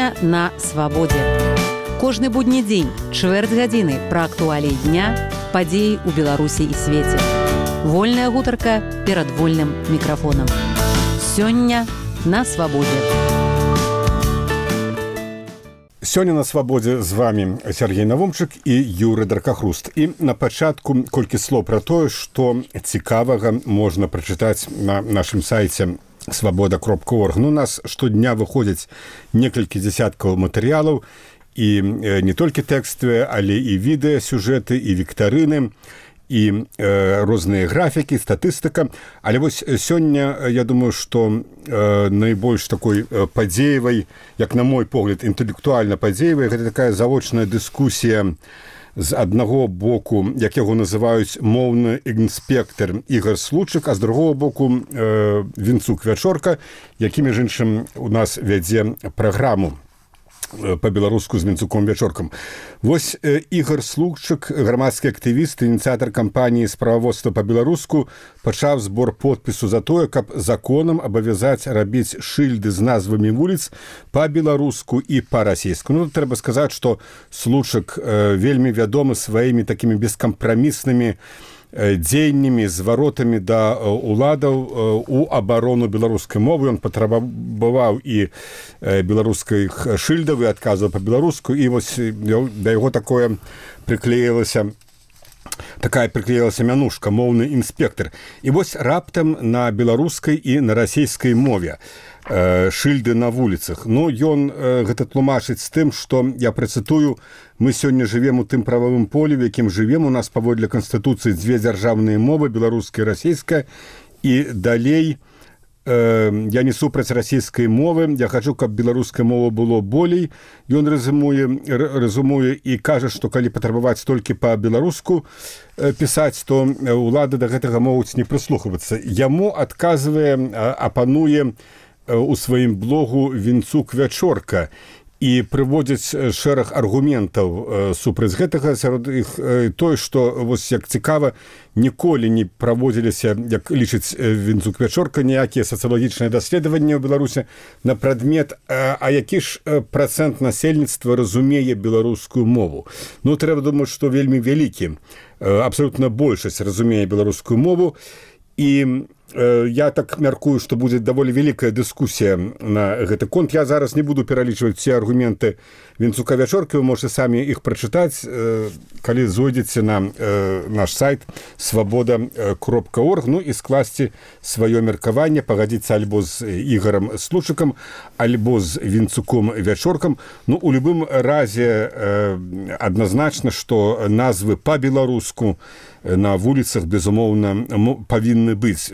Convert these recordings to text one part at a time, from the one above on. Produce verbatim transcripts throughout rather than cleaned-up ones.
Сёння на свабодзе. Кожны будні дзень, чвэрць гадзіны пра актуаліі дня, падзеі ў Беларусі і свеце. Вольная гутарка перад вольным мікрафонам. Сёння на свабодзе. Сёння на свабодзе з вами Сергей Навумчык і Юры Дракахруст. І на пачатку колькі слоў пра тое, што цікавага можна прачытаць на нашым сайце свабода кропка орг. Ну, у нас штодня выходзяць некалькі дзесяткаў матэрыялаў, і не толькі тэкставыя, але і відэа, сюжэты, і віктарыны, і э, розныя графікі, статыстыка. Але вось сёння, я думаю, што э, найбольш такой э, падзеевай, як на мой погляд, інтэлектуальна падзеевай, гэта такая завочная дыскусія з аднаго боку, як яго называюць моўны інспектар Ігар Случык, а з другого боку э, Вінцук Вячорка, які, між іншым, у нас вядзе праграму па-беларуску з Вінцуком Вячоркам. Вось э, Ігар Случык, грамадскі актывіст, ініцыятар кампаніі справаводства па-беларуску, пачаў збор подпісу за тое, каб законам абавязаць рабіць шыльды з назвамі вуліц па-беларуску і па-расейску. Ну, трэба сказаць, што Случык э, вельмі вядомы сваімі такімі бескампраміснымі дзеяннямі, зваротамі да уладаў у абарону беларускай мовы. Ён патрабаваў і беларускіх шыльдаў і адказаў па-беларуску, і вось да яго такое прыклеілася такая прыклеілася мянушка моўны інспектар. І вось раптам на беларускай і на расейскай мове шыльды на вуліцах. Ну, ён гэта тлумачыць з тым, што, я працытую, мы сёння жывем у тым прававым полі, у якім жывем. У нас паводле Канстытуцыі дзве дзяржаўныя мовы, беларуская і расейская. І далей э, я не супраць расійскай мовы, я хачу, каб беларуская мова было болей. Ён рэзумуе, рэзумуе і кажа, што калі патрабаваць толькі па-беларуску э, пісаць, то ўлады да гэтага могуць не прыслухвацца. Яму адказвае, апануе у сваім блогу Вінцук Вячорка і прыводзіць шэраг аргументаў супраць гэтага. Сярод іх тое, што, вось як цікава, ніколі не праводзіліся, як лічыць Вінцук Вячорка, ніякія сацыялагічныя даследаванні ў Беларусі на прадмет, а, а які ж працэнт насельніцтва разумее беларускую мову. Ну, трэба думаць, што вельмі вялікі, абсалютна большасць разумее беларускую мову. І я так мяркую, што будзе даволі вялікая дыскусія на гэты конт. Я зараз не буду пералічваць ці аргументы Вінцука Вячоркі, вы можете самі іх прачытаць, калі зойдзеце на наш сайт свабода кропка орг, ну і скласці сваё меркаванне, пагадзіцца альбо з Ігарам Случыкам, альбо з Вінцуком Вячоркам. Ну, у любым разе адназначна, што назвы па-беларуску на вуліцах, безумоўна, павінны быць.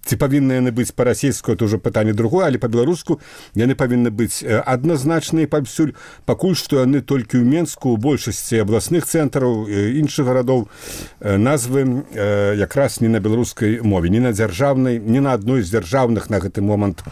Ці павінны яны быць па-расейску, это ўжо пытанне другое, але па-беларуску яны павінны быць адназначныя паўсюль. Пакуль што яны толькі ў Менску, у большасці абласных цэнтраў, іншых гарадоў, назвы якраз не на беларускай мове, не на дзяржаўнай, не на адной з дзяржаўных на гэты момант.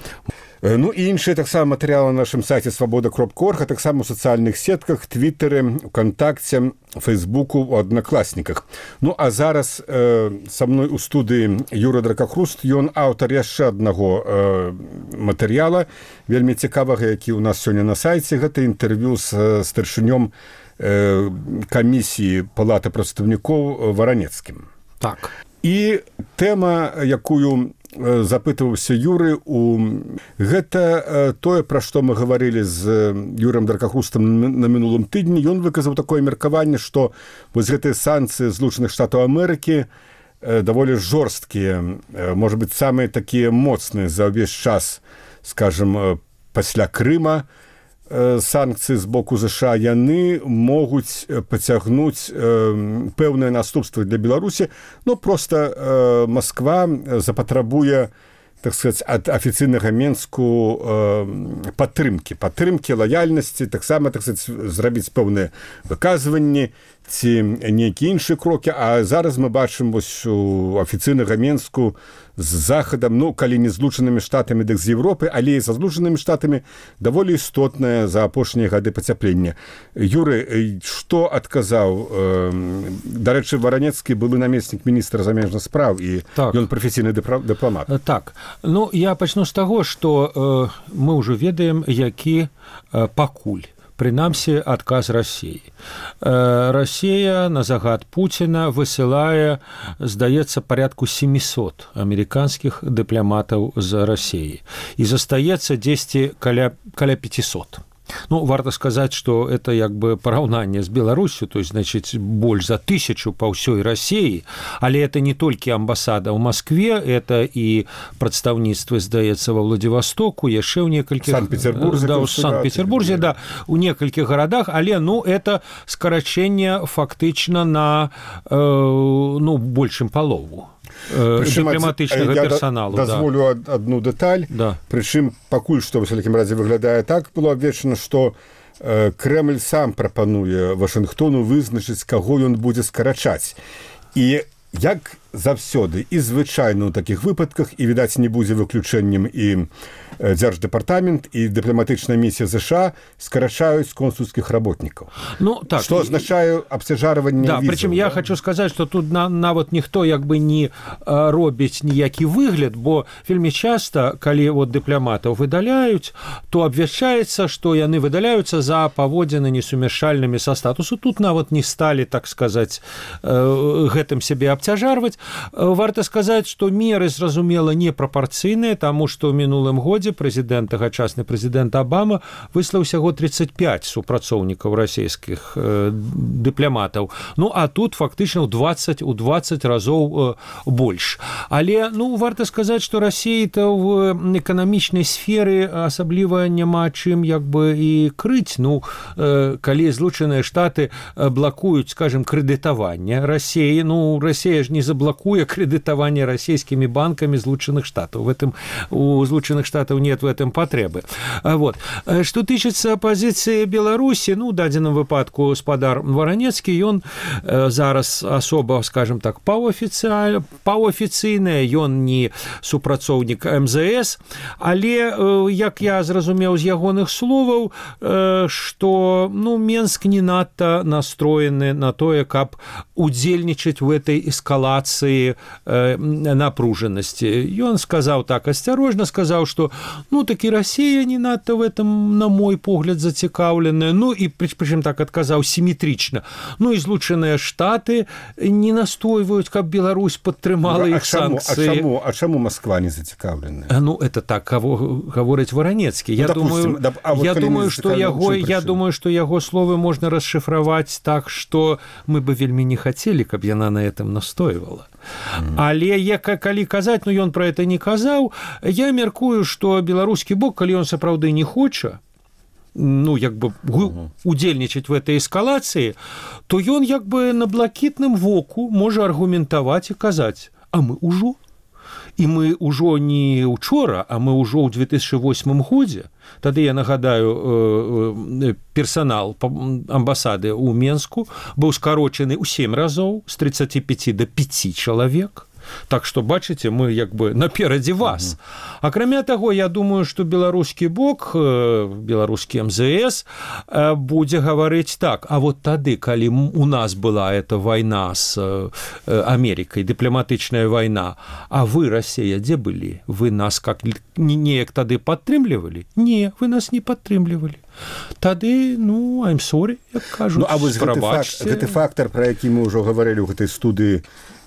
Ну і іншыя таксама матэрыялы на нашым сайце свабода кропка орг, а таксама ў сацыяльных сетках, твітары, ВКонтакце, Фейсбуку, у аднакласніках. Ну а зараз э, са мной у студыі Юра Дракахруст, ён аўтар яшчэ аднаго э, матэрыяла, вельмі цікавага, які ў нас сёння на сайце. Гэта інтэрв'ю з старшынём э, камісіі Палаты прадстаўнікоў Варанецкім. Так. І тэма, якую запытываўся Юры, у... гэта тое, пра што мы гаварылі з Юрам Дракахрустам на мінулым тыдні. Ён выказаў такое меркаванне, што вось гэтыя санкцыі Злучаных Штатаў Амерыкі даволі жорсткія, можа быць, самыя такія моцныя за ўвесь час, скажем, пасля Крыма. Санкцыі з боку ЗША, яны могуць пацягнуць э, пэўныя наступствы для Беларусі. Ну, проста э, Масква запатрабуе, так сказаць, ад афіцыйнага Менску э, падтрымкі, падтрымкі, лаяльнасці, таксама, так сказаць, зрабіць пэўныя выказванні ці нейкія іншыя крокі. А зараз мы бачым вось у афіцыйнага Менску з захадам, ну калі не злучанымі штатамі, дык з Европы, але і са злучанымі штатамі даволі істотнае за апошнія гады пацяплення. Юры, што адказаў? Дарэчы, Варанецкі былы намеснік міністра замежных спраў і так. Ён прафесійны дыпламат. Так, ну я пачну з таго, што э, мы ўжо ведаем, які э, пакуль прынамсі адказ Расіі. Расія на загад Пуціна высылае, здаецца, парядку семьсот амерыканскіх дыпламатаў з Расіі. І застаецца дзесьці каля, каля пятьсот. Ну, варта сказаць, што это як бы параўнанне з Беларусю, то есть, значит, больш за тысячу па ўсёй Расіі, але это не толькі амбасада ў Маскве, это і прадстаўніцтвы, здаецца, ва Владивостоку, яшчэ ў некалькіх... Санкт-Петербурзе. Да, ў Санкт-Петербурзе, да, у некалькіх гарадах, але, ну, это скарачэнне фактычна на, э, ну, большым палову. Дыпламатычнага персаналу. Я дазволю да. адну дэталь. Да. Прычым пакуль што, в усякім разе, выглядае так, было абвешчана, што э, Крэмль сам прапануе Вашынгтону вызначыць, каго ён будзе скарачаць. І як заўсёды і звычайна ў такіх выпадках, і, відаць, не будзе выключэннем і Дзярждэпартамент і дыпламатычная місія США скарачаюць консульскіх работнікаў. Ну, так, што азначае абцяжарванне да, візаў. Прычым я да? хочу сказаць, што тут на, нават ніхто як бы не а, робіць ніякі выгляд, бо вельмі часта, калі вот, дыпламатаў выдаляюць, то абвяшчаецца, што яны выдаляюцца за паводзіны несумяшальнымі са статусу. Тут нават не сталі, так сказаць, э, гэтым сябе абцяжарваць. Варта сказаць, што меры, зразумела, непрапарцыйныя, таму што ў мінулым годзе прэзідэнт, тагачасны прэзідэнт Абама выслаў усяго тридцать пять супрацоўнікаў расійскіх э, дыпламатаў. Ну, а тут фактычна ў двадцать, у двадцать разоў э, больш. Але, ну, варта сказаць, што Расіі-то в эканамічнай сферы асабліва няма чым як бы і крыць. Ну, э, калі Злучаныя Штаты блакуюць, скажем, крэдытаванне Расіі, ну, Расія ж не заблакуе крэдытаванне расійскімі банкамі Злучаных Штатаў. В этом у Злучаных Штатаў нет в этом патрэбы. Вот. Што тычыцца пазіцыі Беларусі, ну, у дадзеным выпадку спадар Варанецкі, ён э, зараз асоба, скажем так, паўафіцыйная, ён не супрацоўнік эм зэ эс, але, э, як я зразумеў з ягоных словаў, э, што, ну, Менск не надта настроены на тое, каб удзельнічаць в этой эскалацыі э, напружанасці. Ён сказаў так асцярожна, сказаў, што ну, такі Расія не надта в этом, на мой погляд, зацікаўленая. Ну, і прычым так адказаў сіметрычна. Ну, і Злучаныя Штаты не настойваюць, каб Беларусь падтрымала іх санкцыі. А чаму, а чаму Москва не зацікаўленая? Ну, это так гаворыць Варанецкі. Я, ну, думаю, да, а вот я, думаю, што яго, я думаю, што яго словы можна расшифраваць так, што мы бы вельмі не хацелі, каб яна на этом настойвала. Mm. Але я, калі казаць, ну, ён пра это не казаў, я мяркую, што беларускі бок, калі ён сапраўды не хоча, ну, як бы uh-huh. удзельнічаць в этой эскалацыі, то ён як бы на блакітным воку можа аргументаваць і казаць, а мы ўжо. І мы ўжо не учора, а мы ўжо ў две тысячи восьмым годзе. Тады, я нагадаю, персанал амбасады ў Менску быў скарочаны ў сем разоў з тридцати пяти до пяти чалавек. Так што, бачыце, мы як бы наперадзе вас. Mm-hmm. Акрамя таго, я думаю, што беларускі бок, беларускі эм зэ эс будзе гаварыць так, а вот тады, калі у нас была эта вайна з Амерыкай, дыпламатычная вайна, а вы, Расія, дзе былі? Вы нас как неяк тады падтрымлівалі? Не, вы нас не падтрымлівалі. Тады, ну, I'm sorry, як кажуць, ну, а вось гэты, факт, гэты фактор, пра які мы ўжо гаварылі ў гэтай студыі,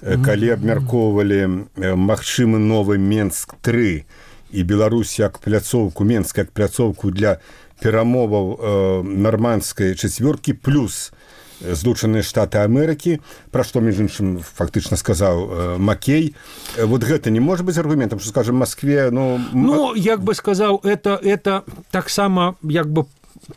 калі абмяркоўвалі магчымы новы Менск тры і Беларусь як пляцоўку, Менск як пляцоўку для перамоваў э, нармандскай чацвёркі плюс Злучаныя Штаты Амерыкі, пра што, між іншым, фактычна сказаў э, Маккей. Вот гэта не можа быць аргументам, што, скажем, Маскве, ну... Ну, як бы сказаў, это, это таксама, як бы,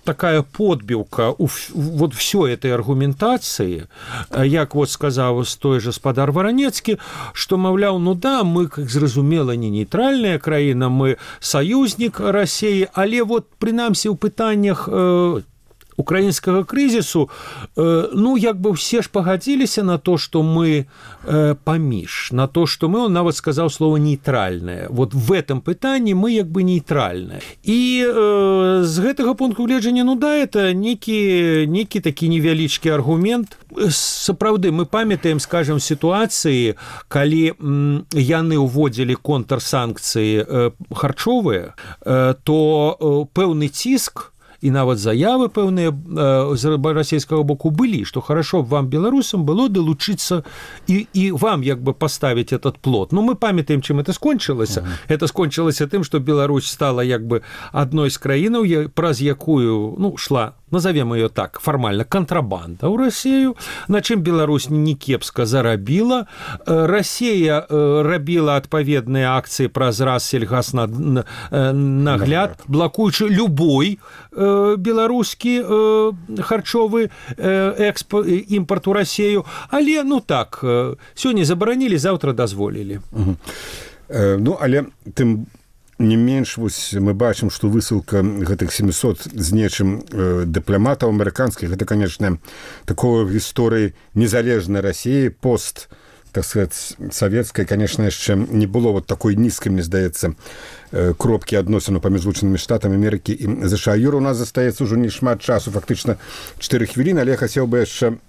такая подбілка у вот всёй этой аргументацыі, як вот сказаў той же спадар Варанецкі, што, маўляў, ну да, мы, как зразумела, не нейтральная краіна, мы саюзнік Расіі, але вот, прынамсі, ў пытаннях э, украінскага крызісу, ну як бы все ж пагадзіліся на то, что мы паміж, на то, что мы, он нават сказаў слово нейтральное. Вот в этом пытанні мы як бы нейтральныя. І э, з гэтага пункту гледжання, ну да, это некі, некі такі невялічкі аргумент. Сапраўды, мы памятаем, скажем, сітуацыі, калі м, яны ўводзілі контрсанкцыі э, харчовыя, э, то э, пэўны ціск і нават заявы пэўныя з расійскага боку былі, што хорошо б вам, беларусам, было далучыцца і, і вам як бы паставіць этот плот. Ну, мы памятаем, чым это скончылася. Uh-huh. Это скончылася тым, што Беларусь стала як бы адной з краінаў, праз якую, ну, шла, назовем ее так, формально, контрабанда ў Россию, на чым Беларусь не кепска зарабіла. Россия рабіла адпаведныя акцыі праз раз сельгаснагляд, блакуючы любой беларускі харчовы экспорт, імпорт у Россию. Але, ну так, сёння забаранілі, заўтра дазволілі. Угу. Э, ну, але тым не менш, вось мы бачым, што высылка гэтых семісот з нечым э, дыпламатаў амерыканскіх, гэта, конечно, такое в гісторыі незалежнай России, пост, так сказать, савецкай, конечно, яшчэ не было вот такой нізкай, мне здаецца, э, кропкі адносіну паміж Злучанымі Штатамі Амерыкі і ЗША. Юра, у нас застаецца ўжо не шмат часу, фактычна чатыры хвіліны, але я хацеў бы яшчэ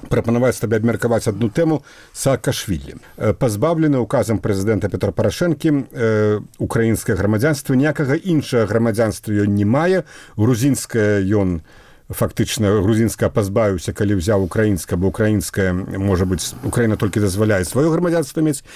прапанаваць табе абмеркаваць адну тэму Саакашвілі. Пазбаўлены указам прэзідэнта Петра Парашэнкі э, украінскае грамадзянства, ніякага іншага грамадзянства ён не мае. Грузінскае ён фактычна грузінская пазбавіўся, калі ўзяў украінскае, бо украінская, можа быць, Украіна толькі дазваляе сваё грамадзянства мець.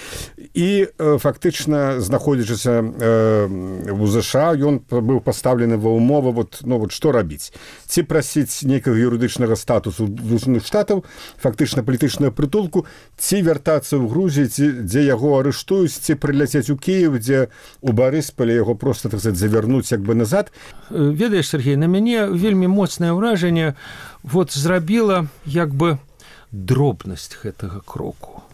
І э, фактычна, знаходзячыся э, у ЗША, ён быў пастаўлены ва ўмовы, вот, ну, вот, што рабіць? Ці прасіць нейкага юрыдычнага статусу Злучаных Штатаў, фактычна палітычную прытулку, ці вяртацца ў Грузію, ці, дзе яго арыштуюць, ці прыляцець у Кіев, дзе у Барысполе яго проста, так сказать, завярнуць як бы назад. Ведаеш, Сергей, на мяне вельмі моцнае ўражанне вот зрабіла як бы дробнасць гэтага кроку.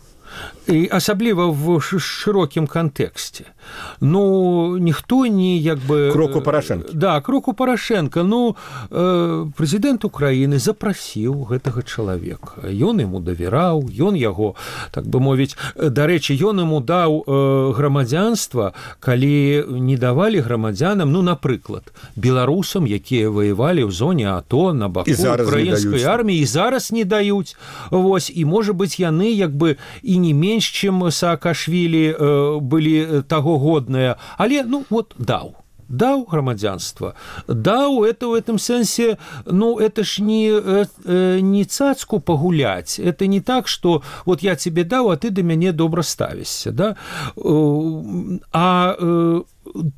І асабліва в шырокім кантэксце. Ну, ніхто не як бы... Кроку Парашэнкі. Да, кроку Парашэнка. Ну, э, прэзідэнт Украіны запрасіў гэтага чалавека. Ён яму давяраў, ён яго, так бы мовіць, дарэчы, ён яму даў э, грамадзянства, калі не давалі грамадзянам, ну, напрыклад, беларусам, якія ваявалі ў зоне АТО на баку украінскай арміі, і зараз не даюць. Вось, і, можа быць, яны як бы і не менш, чым Саакашвілі э, былі таго годныя, але, ну, вот, даў. Даў грамадзянства. Даў, это в этом сэнсе, ну, это ж не, э, не цацку пагуляць. Это не так, что вот я тебе даў, а ты да мяне добра ставішся, да? А э,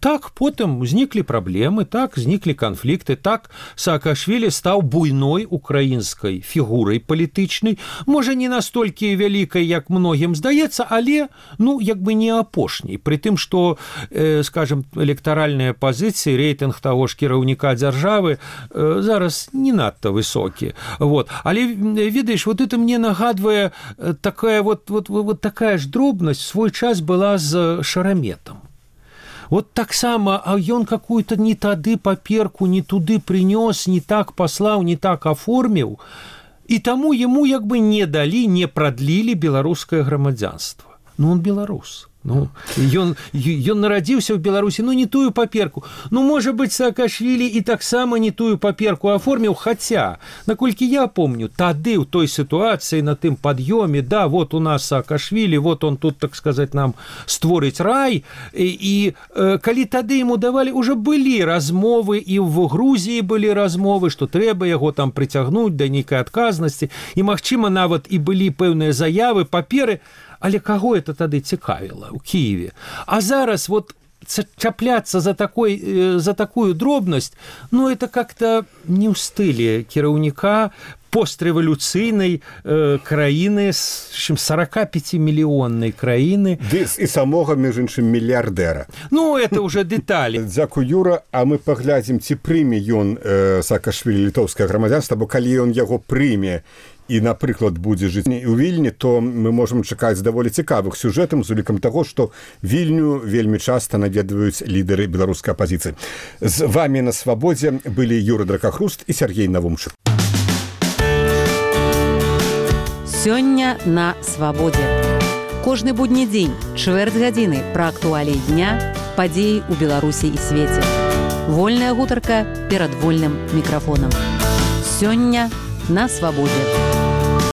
так потым узніклі праблемы, так зніклі канфлікты, так Саакашвілі стаў буйной украінскай фігурай палітычнай, можа не настолькі вялікай, як многім здаецца, але, ну, як бы не апошняй, пры тым, што, э, скажем, электаральныя пазіцыі, рэйтынг таго ж кіраўніка дзяржавы э, зараз не надта высокі. Вот. Але, ведаеш, вот это мне нагадвае такая вот, вот, вот такая ж дробнасць свой час была з Шараметам. Вот таксама, а ён какую-то не тады паперку, не туды прынёс, не так паслаў, не так аформіў, і таму яму як бы не далі, не прадлілі беларускае грамадзянства. Ну, он беларус. Ну, ён, ён нарадзіўся ў Беларусі, ну, не тую паперку. Ну, можа быць, Саакашвілі і таксама не тую паперку аформіў, хаця, наколькі я помню, тады ў той сітуацыі на тым пад'ёме, да, вот у нас Саакашвілі, вот он тут, так сказаць, нам створыць рай, і, і э, калі тады яму давалі, уже былі размовы, і в Грузіі былі размовы, што трэба яго там прыцягнуць да нейкай адказнасці, і, магчыма, нават і былі пэўныя заявы, паперы, але каго это тады цікавіла ў Кіеве? А зараз вот чапляцца за, такой, за такую дробнасць, ну, это как-то не ў стылі кіраўніка пострэвалюцыйнай э, краіны, сорокапятимиллионной краіны. Дыс і самога, між іншым, мільярдэра. Ну, это уже дэталі. Дзякуй, Юра, а мы паглядзім, ці прыме ён э, Саакашвілі літоўскае грамадзянства, бо калі ён яго прыме і, напрыклад, будзе жыць у Вільні, то мы можам чакаць даволі цікавых сюжэтам з улікам таго, што Вільню вельмі часта наведваюць лідары беларускай апазіцыі. З вамі на свабодзе былі Юры Дракахруст і Сергей Навумчык. Сёння на свабодзе. Кожны будні дзень, чвэрць гадзіны пра актуаліі дня, падзеі ў Беларусі і свеце. Вольная гутарка перад вольным мікрафонам. Сёння на свабодзе.